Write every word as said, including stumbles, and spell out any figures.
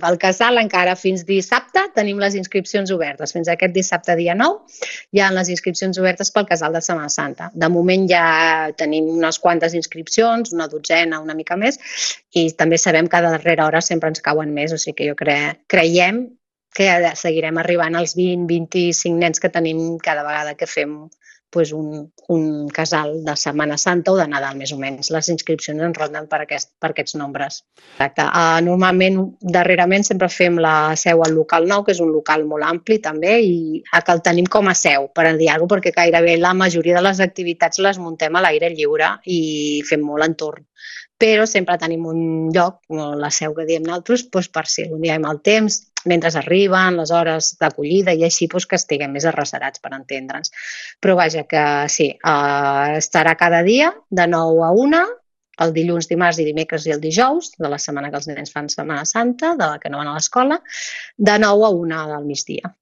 Pel casal encara fins dissabte tenim les inscripcions obertes. Fins aquest dissabte, dia nou, hi ha les inscripcions obertes pel casal de Setmana Santa. De moment ja tenim unes quantes inscripcions, una dotzena, una mica més, i també sabem que a darrera hora sempre ens cauen més, o sigui que jo cre creiem que seguirem arribant als vint a vint-i-cinc nens que tenim cada vegada que fem pues, un, un casal de Setmana Santa o de Nadal, més o menys. Les inscripcions ens ronden per, aquest, per aquests nombres. Exacte. Uh, normalment, darrerament, sempre fem la seu al local nou, que és un local molt ampli també, i que el tenim com a seu, per dir-ho, perquè gairebé la majoria de les activitats les muntem a l'aire lliure i fem molt entorn. Però sempre tenim un lloc, la seu que diem nosaltres, doncs per si un dia hi ha mal temps, mentre arriben les hores d'acollida i així doncs, que estiguem més arrecerats per entendre'ns. Però vaja, que sí, eh, estarà cada dia de nou a una, el dilluns, dimarts i dimecres i el dijous, de la setmana que els nens fan Setmana Santa, de la que no van a l'escola, de nou a una del migdia.